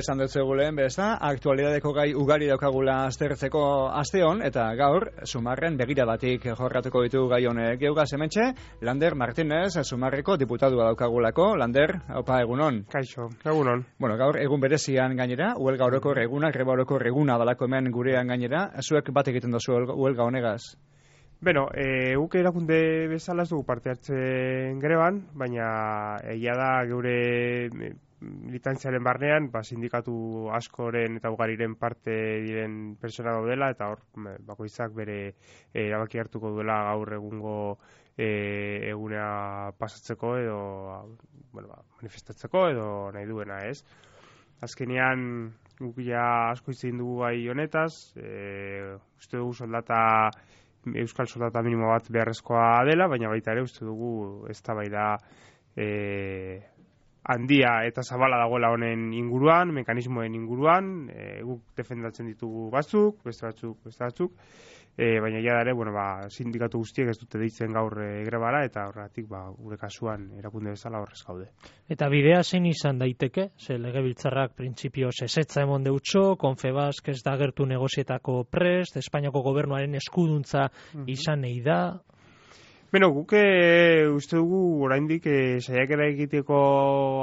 esan dut zegulen, besta, aktualidadeko gai ugari daukagula aztertzeko asteon, eta gaur, Sumarren begiradatik jorratuko ditu gai honek. Geugaz hementxe, Lander Martínez, Sumarreko diputadua daukagulako. Lander, opa, egunon. Kaixo, egunon. Bueno, gaur egun berezian gainera, huelga orokor eguna, greba orokor eguna dalako hemen gurean gainera, zuek bat egiten dozu huelga honegaz? Beno, guk erakunde bezala ez dugu parte hartzen greban, baina egia da geure militantziaren barnean, sindikatu askoren eta ugariren parte diren persona daudela, eta hor bakoitzak bere erabaki hartuko duela gaur egungo eguna pasatzeko edo manifestatzeko edo nahi duena, ez? Azkenean guk ja asko izin dugu gai honetaz, uste dugu euskal soldata minimo bat beharrezkoa dela, baina baita ere uste dugu eztabaida handia eta zabala dagoela honen inguruan, mekanismoen inguruan, guk defendatzen ditugu batzuk, beste batzuk, baina ja dare, sindikatu guztiek ez dute deitzen gaur grebara, eta horregatik gure kasuan erakunde bezala horrez gaude. Eta bidea zein izan daiteke? Ze legebiltzarrak printzipioz ezetza emon deutxo, Confebask ez da agertu negozietako prest, Espainiako gobernuaren eskuduntza izan nahi da. Beno, guk uste dugu oraindik saiakera egiteko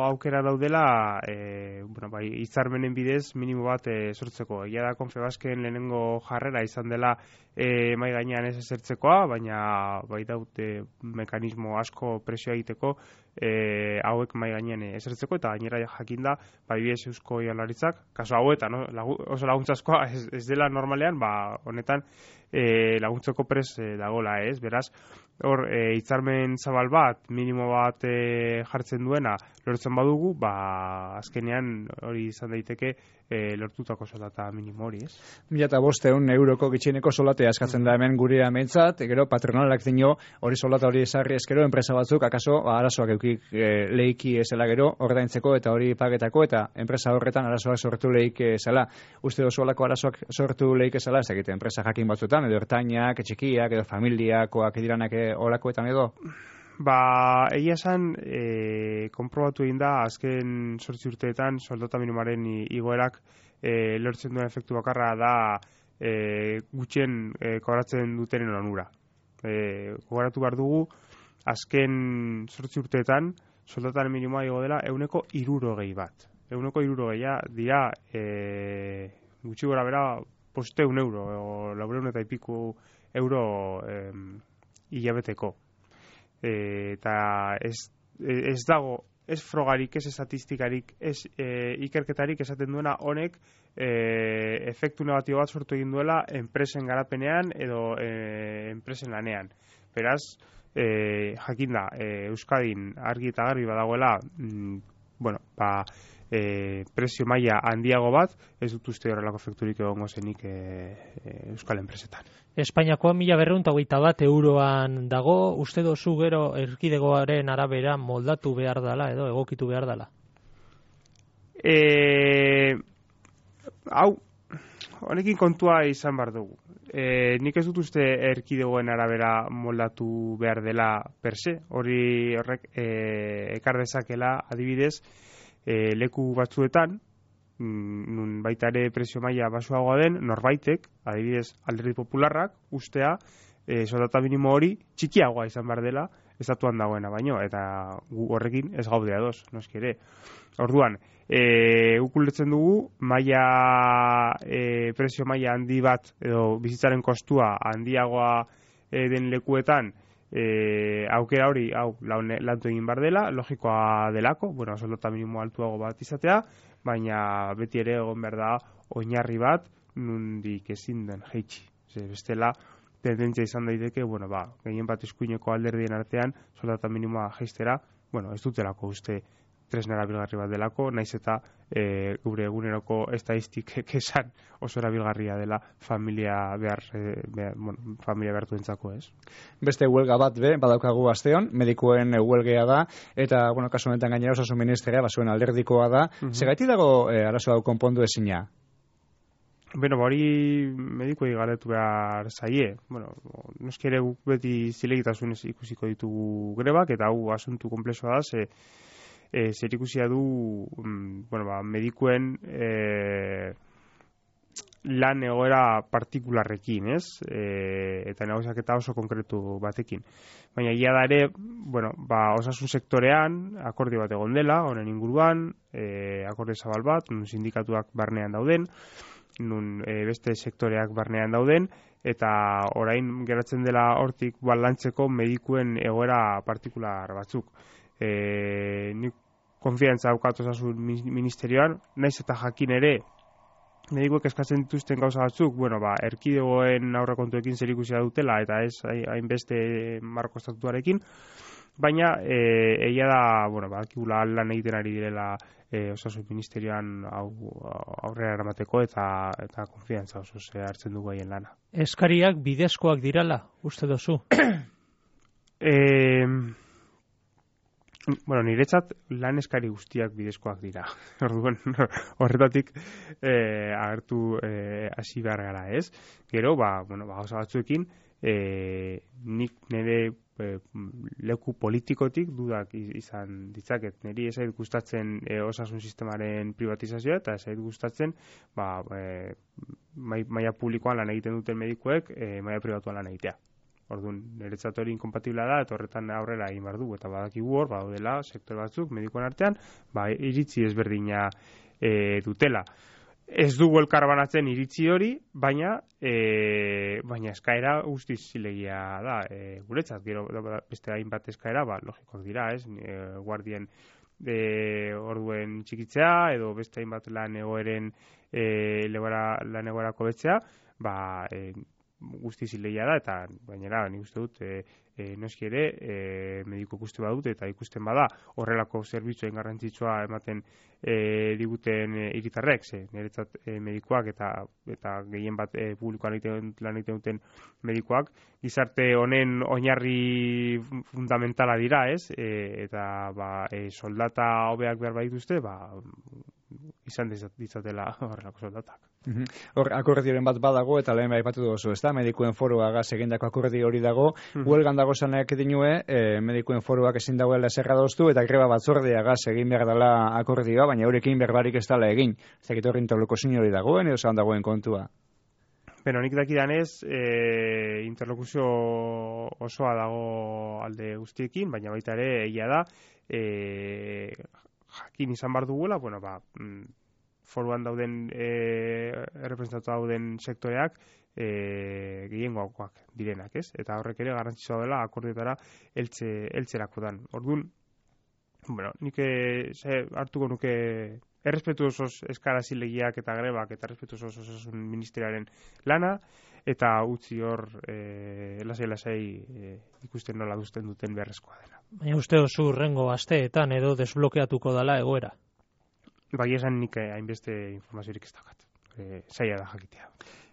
aukera daudela, hitzarmenen bidez minimo bat sortzeko. Egia da Confebasken lehenengo jarrera izan dela mai gainean ez ezertzekoa, baina baita mekanismo asko presio egiteko hauek mai gainean ezertzeko, eta gainera jakinda bidez Eusko Jaurlaritzak, kasu hauetan, oso laguntzaskoa ez dela normalean, honetan laguntzeko pres dagola, ez? Beraz, hor, hitzarmen zabal bat, minimo bat jartzen duena, lortzen badugu, azkenean hori izan daiteke lortutako soldata minimo hori, ez? 1.500 euroko gitxieneko soldatea eskatzen da hemen gure amentzat, gero patronalak dino hori soldata hori esarri eskero, enpresa batzuk, akaso, arazoak eukik lehiki ezela gero, ordaintzeko eta hori pagetako, eta enpresa horretan arazoak sortu lehik ezela. Uste dozu olako arazoak sortu lehik ezela, ez egite, enpresa jakin batzuetan, edo ertainak, etxikiak, edo familiakoak ediranak olakoetan edo? Egia esan, konprobatu egin da, azken 8 urteetan soldata minimoaren igoerak lortzen duen efektu bakarra da gutxien kobratzen dutenen onura. Gogoratu behar dugu, azken 8 urteetan soldataren minimoa igo dela 160 bat. 160 dira gutxi gora bera 500 euro, o 400 eta piku euro hilabeteko. Eta ez dago, ez frogarik, ez estatistikarik, ez ikerketarik esaten duena honek efektu negatibo bat sortu egin duela enpresen garapenean edo enpresen lanean. Beraz, jakinda, Euskadin argi eta garbi badagoela, prezio maila handiago bat, ez dut uste horrelako efekturik egongo zenik Euskal enpresetan. Espainiakoa 1.221 euroan dago, uste dozu gero erkidegoaren arabera moldatu behar dela edo egokitu behar dela? Honekin kontua izan behar dugu. Nik ez dut uste erkidegoen arabera moldatu behar dela per se, horrek ekar dezakela adibidez leku batzuetan, nun baita ere prezio maila basuagoa den, norbaitek, adibidez Alderdi Popularrak, ustea soldata minimo hori txikiagoa izan behar dela estatuan dagoena baino, eta gu horrekin ez gaude ados, noski ere. Orduan, guk ulertzen dugu prezio maila handi bat edo bizitzaren kostua handiagoa den lekuetan aukera hori lantu egin behar dela, logikoa delako, soldata minimo altuago bat izatea, baina beti ere egon behar da oinarri bat nondik ezin den jaitsi. Bestela, tendentzia izan daiteke, gehien bat eskuineko alderdien artean soldata minimoa jaistera, ez dutelako uste tresna erabilgarri bat delako, naiz eta gure eguneroko estadistikek esan oso erabilgarria dela familia behartuentzako, ez? Beste huelga bat badaukagu asteon, medikuen huelgea da, eta, kasu honetan gainera osasun ministeria, zuen alderdikoa da. Segaitik dago arazo hau konpondu ezina? Hori medikuei galdetu behar zaie. Noski ere guk beti zilegitasunez ikusiko ditugu grebak, eta hau asuntu konplexua da, zerikusia du medikuen lan egoera partikularrekin, ez? Eta negoziaketa oso konkretu batekin. Baina egia da ere, osasun sektorean akordio bat egon dela, honen inguruan, akordio zabal bat, nun sindikatuak barnean dauden, nun beste sektoreak barnean dauden, eta orain geratzen dela hortik balantzeko medikuen egoera partikular batzuk. Nik konfiantza daukat osasun ministerioan, naiz eta jakin ere, medikuek eskatzen dituzten gauza batzuk, erkidegoen aurrekontuekin zerikusia dutela eta ez hainbeste marko estatutuarekin, baina egia da, badakigula lan egiten ari direla osasun ministerioan aurrera eramateko eta konfiantza oso hartzen dugu haien lana. Eskariak bidezkoak dirala, uste dozu? Niretzat lan eskari guztiak bidezkoak dira. Orduan, horretatik agertu hasi behar gara, ez? Gero, gauza batzuekin, nik nire leku politikotik dudak izan ditzaket. Niri ez zait gustatzen osasun sistemaren privatizazioa eta ez zait gustatzen maila publikoan lan egiten duten medikuek maila pribatuan lan egitea. Orduan, niretzat hori inkompatibla da, eta horretan aurrera egin behar du, eta badakigu hor, badaudela sektore batzuk, medikoen artean, iritzi ezberdina dutela. Ez dugu elkarbanatzen iritzi hori, baina eskaera guztiz zilegia da. Guretzat, gero beste hainbat eskaera, logikoak dira, ez? Guardien orduen txikitzea, edo beste hainbat lan egoerako betzea, guzti zilegia da, eta bainera nik uste dut noski ere mediku ikuste badut eta ikusten bada horrelako zerbitzuen garrantzitsua ematen diguten hiritarrek, niretzat medikuak eta gehien bat publikoan lan egiten duten medikuak gizarte honen oinarri fundamentala dira, ez? Eta soldata hobeak behar badituzte, izan ditzatela horrelako soldatak. Hor, akordioren bat badago, eta lehen aipatu duzu, ezta? Medikuen foroagaz egindako akordio hori dago, huelgan dago zanak dinue, medikuen foroak ezin dagoela zerra doztu, eta greba batzordeagaz egin behar dela akordioa, baina eurekin berbarik ez dela egin. Ez dakit horri interlokuzio hori dagoen, edo zan dagoen kontua? Nik dakidanez, interlokuzio osoa dago alde guztiekin, baina baita ere egia da, jakin izan bar duguela, foruan dauden errepresentatu dauden sektoreak gehiengoakoak direnak, ez? Eta horrek ere garrantzitsua dela akordioetara heltzerakoan. Orduan, nik hartuko nuke errespetuosos eskara zilegiak eta grebak eta errespetuosos osasun ministeriaren lana, eta utzi hor lasai ikusten nola duten beharrezkoa dela. Baina uste oso hurrengo asteetan edo desblokeatuko dela egoera? Esan nik hainbeste informaziorik ez daukat. Zaila da jakitea.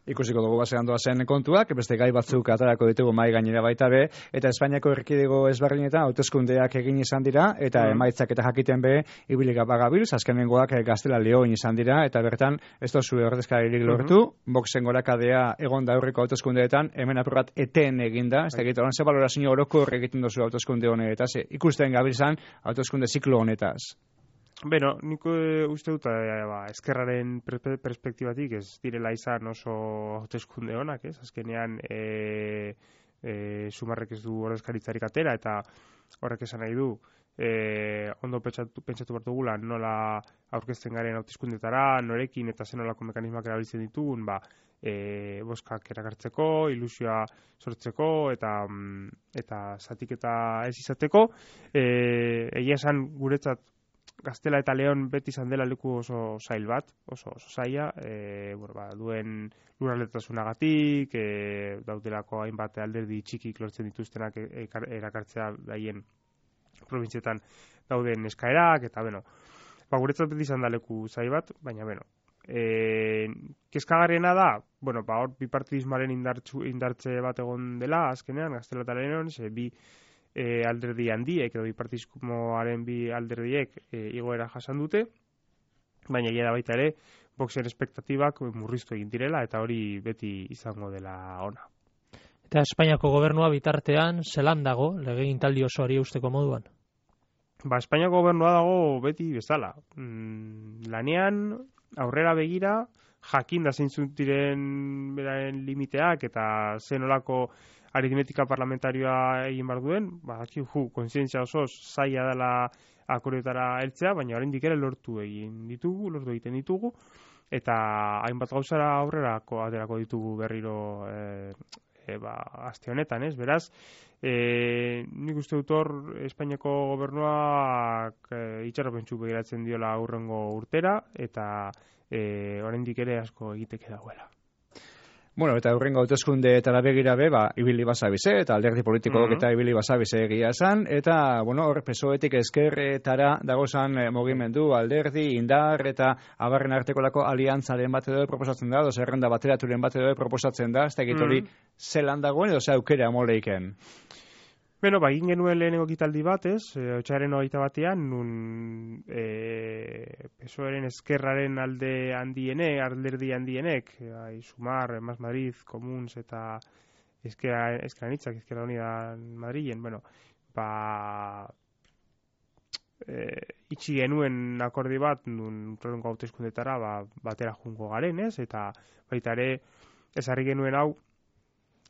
Ikusiko dugu basean doazen kontuak, beste gai batzuk atarako ditugu mai gainera baita be, eta Espainiako erkidego ezberdinetan hauteskundeak egin izan dira, eta emaitzak eta jakiten be, ibilika bagabilz, azkenengoak Gaztela Leoin izan dira, eta bertan, ez dozu ordezkaririk lortu, Voxen gorakadea egon da aurreko hauteskundeetan, hemen aprobat eten eginda, ez da egiten, ze balorazio orokor egiten dozu hauteskunde honetaz, ikusten gabilzan hauteskunde ziklo honetaz. Nik uste dut ezkerraren perspektibatik ez direla izan oso hauteskunde honak, ez? Azkenean Sumarrek ez du ordezkaritzarik atera, eta horrek esan nahi du ondo pentsatu behar dugula nola aurkezten garen hauteskundetara, norekin eta zenolako mekanismoak erabiltzen ditugun, boskak erakartzeko, ilusioa sortzeko eta zatiketa ez izateko. Egia esan guretzat Gaztela eta Leon beti izan dela leku oso zail bat, oso zaila, duen lurraldetasunagatik, daudelako hainbat alderdi txikik lortzen dituztenak erakartzea daien provintzietan dauden eskaerak, eta guretzat beti izan da leku zail bat, baina kezkagarriena da, hor bipartidismoaren indartze bat egon dela, azkenean, Gaztela eta Leon, bi alderdi handiek edo bipartidismoaren bi alderdiek igoera jasan dute, baina egia da baita ere Voxen espektatibak murriztu egin direla eta hori beti izango dela ona. Eta Espainiako gobernua bitartean zelan dago legegintzaldi osoari eusteko moduan? Espainiako gobernua dago beti bezala. Lanean, aurrera begira, jakin da zeintzuk diren beraren limiteak eta zenolako aritmetika parlamentarioa egin behar duen, kontzientzia osoz zaila dela akordioetara heltzea, baina oraindik ere lortu egiten ditugu, eta hainbat gauzara aurrerako aterako ditugu berriro aste honetan, ez? Beraz, nik uste dut hor Espainiako gobernuak itxaropentsu begiratzen diola aurrengo urtera, eta oraindik ere asko egiteke dagoela. Bueno, eta aurrengo hauteskundeetara begira ibili basabize, eta alderdi politikok eta ibili basabize egia esan, eta, hor PSOEtik ezkerretara dagozan mugimendu, alderdi, indar, eta abarren artekolako aliantzaren bat edo proposatzen da, zerrenda bateraturen bat edo proposatzen da, ez da hori zelan dagoen, edo ze aukera moleiken? Beno, egin genuen lehenengo ekitaldi bat, otsailaren 21ean, nun PSOEren ezkerraren alderdi handienek, Sumar, Mas Madrid, Comuns eta Ezker Anitzak, Izquierda Unida Madrilen, itxi genuen akordi bat, nun urrengo hauteskundetara batera jungo garen, eta baita ere ezarri genuen hau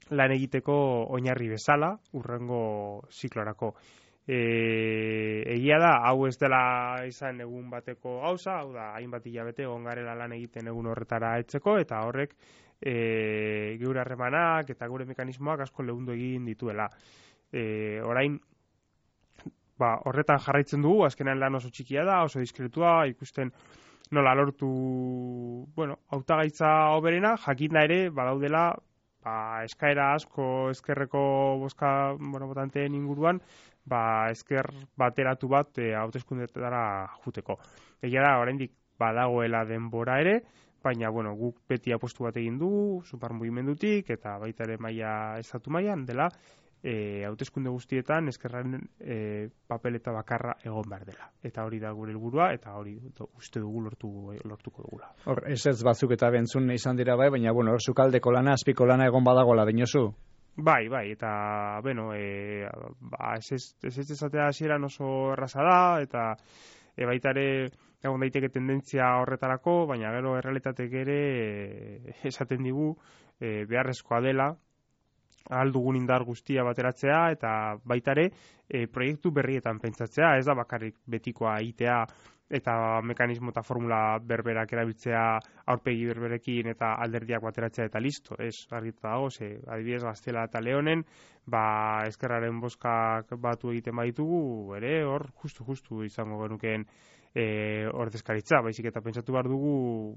lan egiteko oinarri bezala urrengo ziklorako. Egia da, hau ez dela izan egun bateko gauza, hau da, hainbat hilabete egon garela lan egiten egun horretara etzeko, eta horrek geure harremanak eta gure mekanismoak asko leundu egin dituela. Orain, horretan jarraitzen dugu, azkenean lan oso txikia da, oso diskretua, ikusten nola lortu, hautagaitza hoberena, jakinda ere, badaudela, eskaera asko ezkerreko bozka botanteen inguruan, ezker bateratu bat hauteskundetara juteko. Egia da, oraindik badagoela denbora ere, baina guk beti apostu bat egin dugu, Sumar mugimendutik, eta baita ere estatu mailan dela, hauteskunde guztietan ezkerraren papeleta bakarra egon behar dela. Eta hori da gure helburua, eta hori uste dugu lortuko dugula. Hor, ez batzuk eta bentzun izan dira baina, hor sukaldeko lana, azpiko lana egon badagoela, dinozu? Bai, eta, ez esatea hasieran oso erraza da, eta baita ere egon daiteke tendentzia horretarako, baina gero errealitatek ere esaten digu beharrezkoa dela, ahal dugun indar guztia bateratzea, eta baita ere proiektu berrietan pentsatzea, ez da bakarrik betikoa egitea eta mekanismo eta formula berberak erabiltzea aurpegi berberekin eta alderdiak bateratzea eta listo, ez argita dago, adibidez Gaztela eta Leonen, ezkerraren bozkak batu egiten baditugu, ere hor justu izango genukeen ordezkaritza, baizik eta pentsatu behar dugu,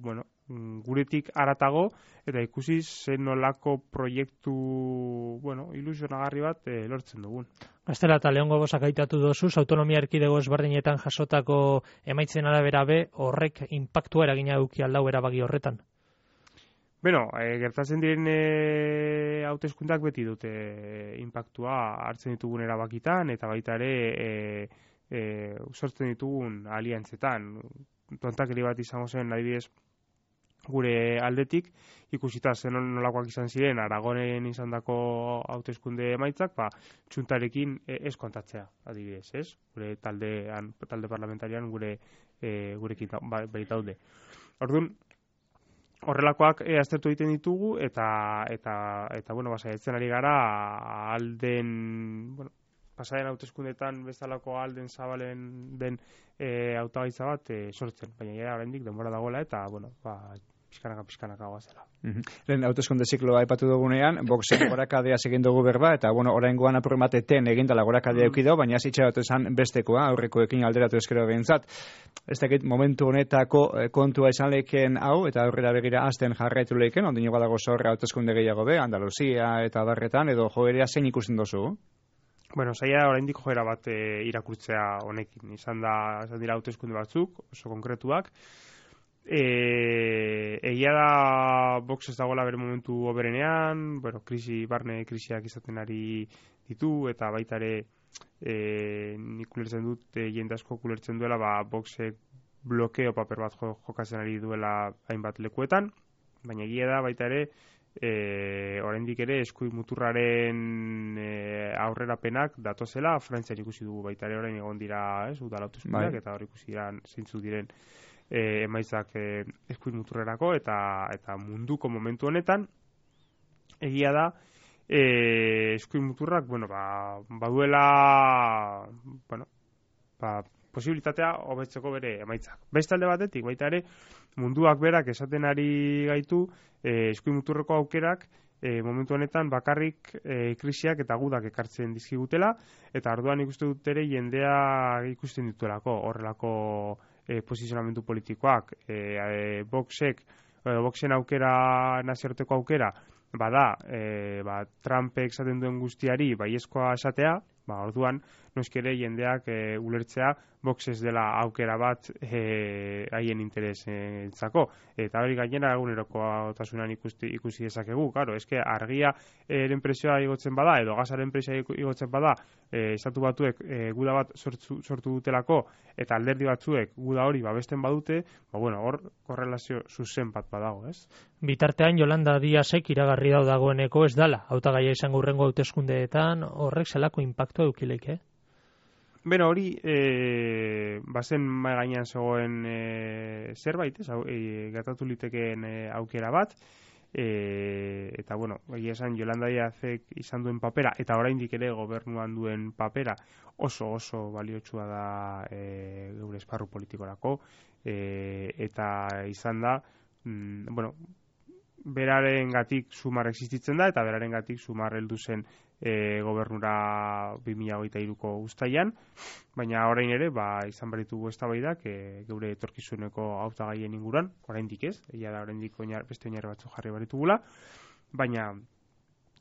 guretik haratago, eta ikusi zen nolako proiektu, ilusionagarri bat lortzen dugun. Gaztela eta Leongo bozak aitatu dozuz, autonomia erkidego ezberdinetan jasotako emaitzen arabera horrek inpaktua eragina eduki aldau erabaki horretan? Gertatzen diren hauteskundak beti dute inpaktua hartzen ditugun erabakitan, eta baita ere sortzen ditugun aliantzetan. Tontakeri bat izango zen, adibidez, gure aldetik, ikusita zen nolakoak izan ziren Aragonen izandako hauteskunde emaitzak, txuntarekin ez kontatzea, adibidez, ez? Gure talde parlamentarian gurekin baitaude. Orduan, horrelakoak aztertu egiten ditugu, eta saiatzen ari gara alden, pasaren hauteskundetan bezalako alden zabalen den hautagaitza bat sortzen, baina oraindik denbora dagoela, eta pixkanaka goazela. Lehen hauteskunde zikloa aipatu dugunean, Voxen gorakadea egin dugu berba, eta oraingoan apurmateten egindala gorakadea eukidau, baina zitxaratu esan bestekoa, aurrekoekin alderatu eskero behintzat. Ez dakit momentu honetako kontua izan lehken hau, eta aurrera begira azten jarraitu lehken, ondino badago zorra hauteskunde gehiago Andaluzia eta barretan, edo joerea zein ikusten dozu? Zaila oraindik joera bat irakurtzea honekin. Izan dira hauteskunde batzuk, oso konkretuak. Egia da Vox ez dagoela bere momentu oberenean, barne krisiak izaten ari ditu, eta baita ere nik ulertzen dut, jende asko ulertzen duela, Voxek blokeo paper bat jokatzen ari duela hainbat lekuetan, baina egia da baita ere oraindik ere eskuin muturraren aurrerapenak datozela. Frantzian ikusi dugu baita ere orain egon dira, udal hauteskundeak, eta hor ikusi dira zeintzuk diren emaitzak eskuin muturrerako eta munduko momentu honetan egia da eskuin muturrak baduela posibilitatea hobetzeko bere emaitzak. Beste alde batetik baita ere munduak berak esaten ari gaitu eskuin muturreko aukerak momentu honetan bakarrik krisiak eta gudak ekartzen dizkigutela, eta orduan ikusten dut ere jendea ikusten dituelako horrelako posizionamendu politikoak. Voxen aukera, nazioarteko aukera, bada, Trumpek esaten duen guztiari baiezkoa esatea, orduan, noskere jendeak ulertzea Vox ez dela aukera bat haien interesentzako. Eta hori gainera egunerokotasunean ikusi dezakegu. Claro, eske argia presioa igotzen bada, edo gasaren presioa igotzen bada, estatu batuek guda bat sortu dutelako, eta alderdi batzuek guda hori babesten badute, hor korrelazio zuzen bat badago, ez? Bitartean, Yolanda Díazek iragarri dagoeneko ez dala, hautagaia izango hurrengo hauteskundeetan, horrek zelako inpaktua edukileik, Beno, hori, bazen mai gainean zegoen zerbait, gertatu litekeen aukera bat, eta, egia esan, Yolanda Díazek izan duen papera, eta oraindik ere gobernuan duen papera oso baliotsua da geure esparru politikorako, eta izan da, berarengatik sumar existitzen da, eta berarengatik sumar heldu zen gobernura 2023ko uztailan, baina orain ere izan beritugu eztabaidak geure etorkizuneko hautagaien inguruan, oraindik ez, egia da oraindik beste oinarri batzuk jarri beritugula, baina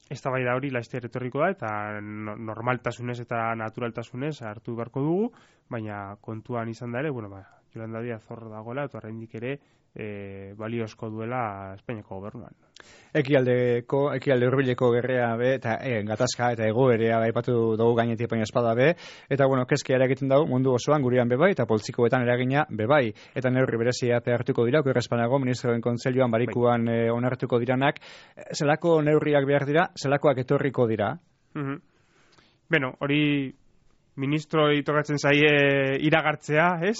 eztabaida hori laster etorriko da, eta normaltasunez eta naturaltasunez hartu beharko dugu, baina kontuan izan da ere, Yolanda Díaz hor dagoela, eta oraindik ere baliozko duela Espainiako gobernuan. Ekialde hurbileko gerrea be, eta gatazka eta egoerea aipatu dugu gainetik baina espada be, eta kezkea eragiten dugu mundu osoan gurean bebai, eta poltsikoetan eragina bebai, eta neurri berezia hartuko dira, Okerrespanago ministroen kontseiluan barikuan onartuko diranak, zelako neurriak behar dira, zelakoak etorriko dira? Beno, hori ministroi tokatzen zaie iragartzea, ez?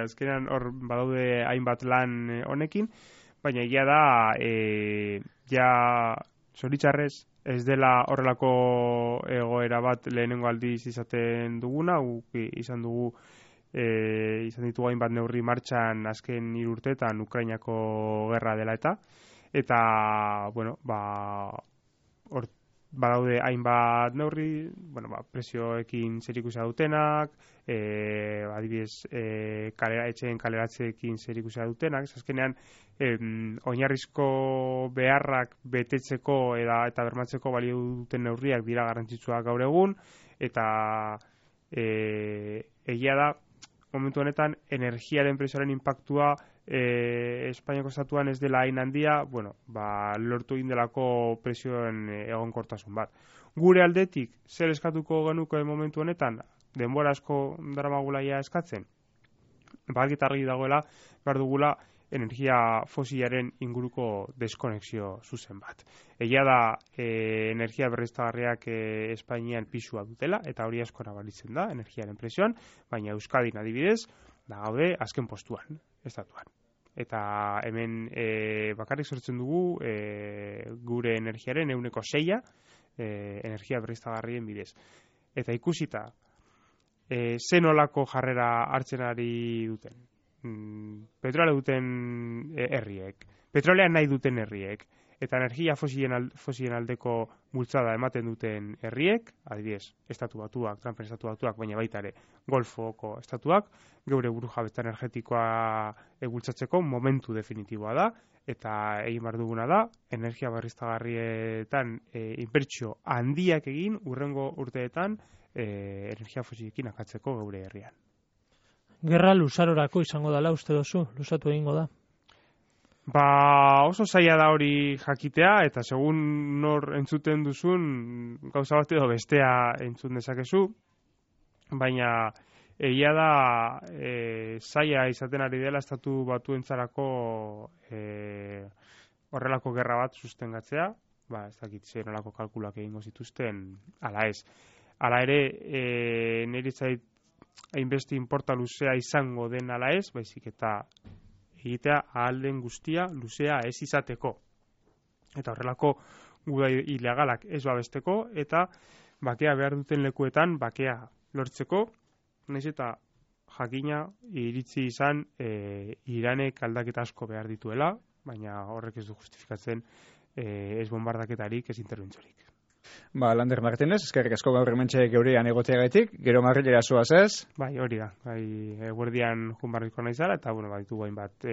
Azkenan hor badaude hainbat lan honekin, baina egia da, zoritxarrez ez dela horrelako egoera bat lehenengo aldiz izaten duguna, izan ditugu hainbat neurri martxan azken 3 urteetan Ukrainako gerra dela eta hor badaude hainbat neurri, presioekin zerikusia dutenak, adibidez, etxeen kaleratzeekin zerikusia dutenak, azkenean oinarrizko beharrak betetzeko eta bermatzeko balio duten neurriak dira garrantzitsuak gaur egun, eta egia da, momentu honetan, energiaren presioaren impactua Espainiako estatuan ez dela hain handia, lortu egin delako presioen egonkortasun bat. Gure aldetik, zer eskatuko genuko momentu honetan, denbora asko daramagulaia eskatzen? Argi dagoela, behar dugula energia fosilaren inguruko deskonexio zuzen bat. Egia da, energia berriztagarriak Espainian pisua dutela, eta hori asko nabaritzen da, energiaren presioan, baina Euskadin adibidez, gaude azken postuan, estatuan. Eta hemen bakarrik sortzen dugu gure energiaren 6% energia berriztagarrien bidez. Eta ikusita, zenolako jarrera hartzen ari duten. Petrolea duten herriek, petrolea nahi duten herriek, eta energia fosilen aldeko bultzada ematen duten herriek, adibidez, estatu batuak, Trumpen estatu batuak, baina baita ere Golfoko estatuak, geure burujabetza energetikoa bultzatzeko momentu definitiboa da, eta egin behar duguna da, energia berriztagarrietan inbertsio handiak egin hurrengo urteetan energia fosilekin akatzeko geure herrian. Gerra luzarorako izango dela uste dozu, luzatu egingo da? Oso zaila da hori jakitea, eta segun nor entzuten duzun, gauza bat edo bestea entzun dezakezu, baina egia da zaila izaten ari dela estatu batuentzarako horrelako gerra bat sustengatzea, ez dakit zer nolako kalkulak egingo zituzten, ala ez. Hala ere, niri zait hainbeste inporta luzea izango den ala ez, baizik eta egitea ahal den guztia luzea ez izateko. Eta horrelako guda ilegalak ez babesteko, eta bakea behar duten lekuetan bakea lortzeko, nahiz eta jakina iritzi izan Iranek aldaketa asko behar dituela, baina horrek ez du justifikatzen ez bombardaketarik, ez interventzorik. Lander Martínez, eskerrik asko gaur hementxe geurean egoteagatik, gero Madrilera zoaz ez? Bai, hori da. Eguerdian junbarriko naizala, eta ditugu hainbat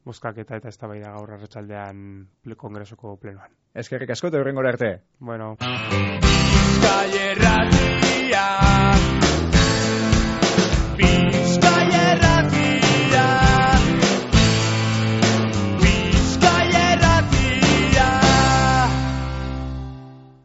bozkaketa eta eztabaida gaur arratsaldean kongresoko plenoan. Eskerrik asko eta hurrengora arte. Bueno.